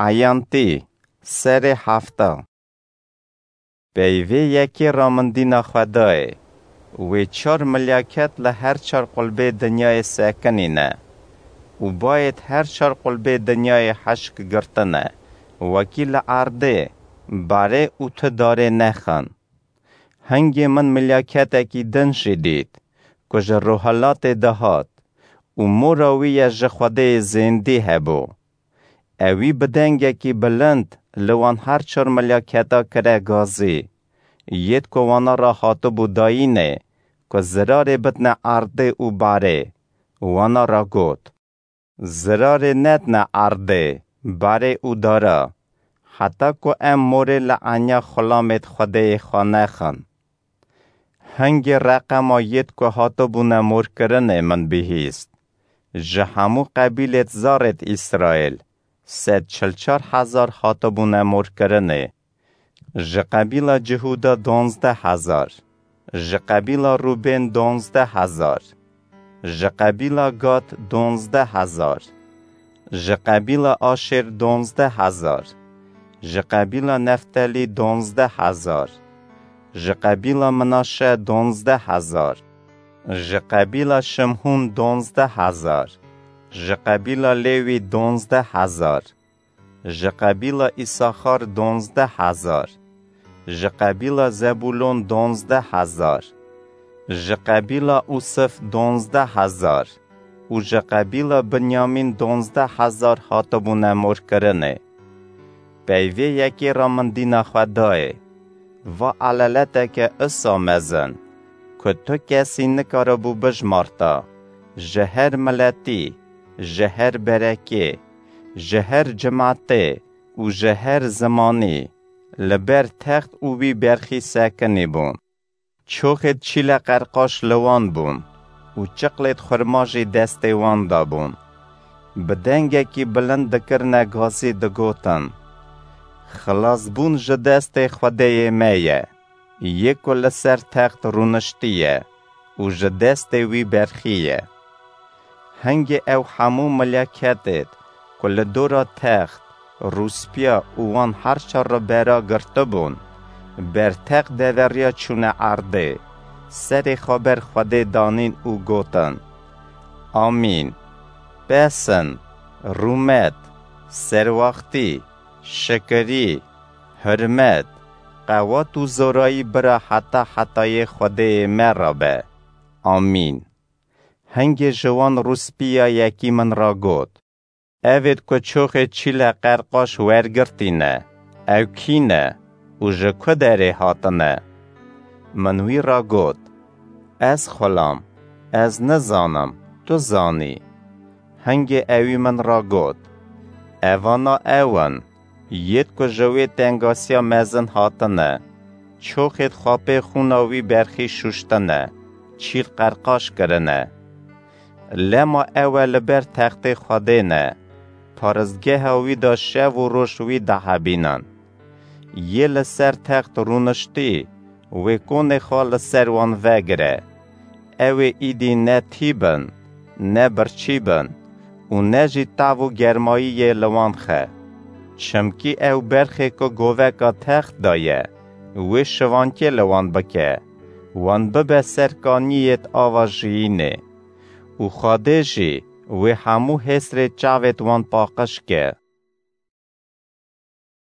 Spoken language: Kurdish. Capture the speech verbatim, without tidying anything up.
Eyantî, serê hefta. Peyvê yekê ramindîna Xwedayê. Wê çar milyaket li her çar qulbê dinyayê sekinîne û bayêt her çar qulbê dinyayê hişk girtine, wekî li erdê barê û tu darê nexin. Hingê min milyaketekî din jî dît, ku ji rohilatê dihat û mora wî ye ji Xwedê zêndî hebû. Ewî bi dengekî bilind li wan her çar milyaketa kire gazî, yêt ku wana re hatibû dayînê, ku zirarê bidne erdê û barê. Wana re got, "Zirarê nedne erdê, barê û dara, heta ku em morê li enya xulamêt Xwedêyê xwe nexin." Hingê reqema yêt ku hatibûne morkirinê min bihîst. Ji hemû qebîlêt zarêt Îsraîl, sed çil çar hezar hatibûne morkirinê. Ji qebîla Cihûda donzdeh hezar, ji qebîla Rûbên donzdeh hezar, ji qebîla Gad donzdeh hezar, ji qebîla Aşêr donzdeh hezar, ji qebîla Neftelî donzdeh hezar, ji qebîla Minaşe donzdeh hezar, ji qebîla Şimhûn donzdeh hezar, ji qebîla Lêwî donzdeh hezar, ji qebîla Îsaxar donzdeh hezar, ji qebîla Zebûlon donzdeh hezar, ji qebîla Ûsif donzdeh hezar û ji qebîla Binyamîn donzdeh hezar hatibûne morkirinê. Peyvê yekê ramindîna Xwedayê. Va eleleteke isa mezin, ku tu kesî nikaribû bijmarta, ji her miletî, ji her berekê, ji her cimatê û ji her zimanî, li ber text û wî berxî sekinî bûn. Çoxêt çîle qerqaş li wan bûn û çiqlêt xurma jî destê wan de bûn. Bi dengekî bilind dikirine gazî, digotin, "Xilasbûn ji destê Xwedêyê me ye, yê ku li ser text rûniştiye û ji destê wî berxiye." Hingê ew hemû mileketêt ku li dora text, rûspiya û wan her çar re bera girtibûn, ber text deveriya çûne erdê, serê xwe ber Xwedê danîn û gotin, "Amîn. Bes in, rûmet, serwaxtî, şikirî, hurmet, qewat û zorayî bira heta hetayê Xwedêyê me re be. Amîn." Hingê ji wan rûspiya yekî min re got, "Evêt ku çoxê çîle qerqaş wergirtîne, ew kî ne û ji ku derê hatine?" Min wî re got, "Ez xulam, ez nizanim, tu zanî." Hingê ewî min re got, "Evana ew in, yêt ku ji wê tengasiya mezin hatine, çoxêt xwe pê xûna wî berxî şûştine, çîl qerqaş kirine. Lema ew e li ber textê Xwedê ne, paristgeha wî de şev û roj wî dihebînin. Yê li ser text rûniştî, wê konê xwe li ser wan vegire. Ew ê îdî ne tîb in, ne birçî bin û ne jî tav û germayî yê li wan xe. Çimkî ew berxê ku goveka text de ye, wê şivankê li wan bike, wan bibe ser kaniyêt ava jiyînê. Û Xwedê jî wê hemû hêsrê çavêt wan paqij ke."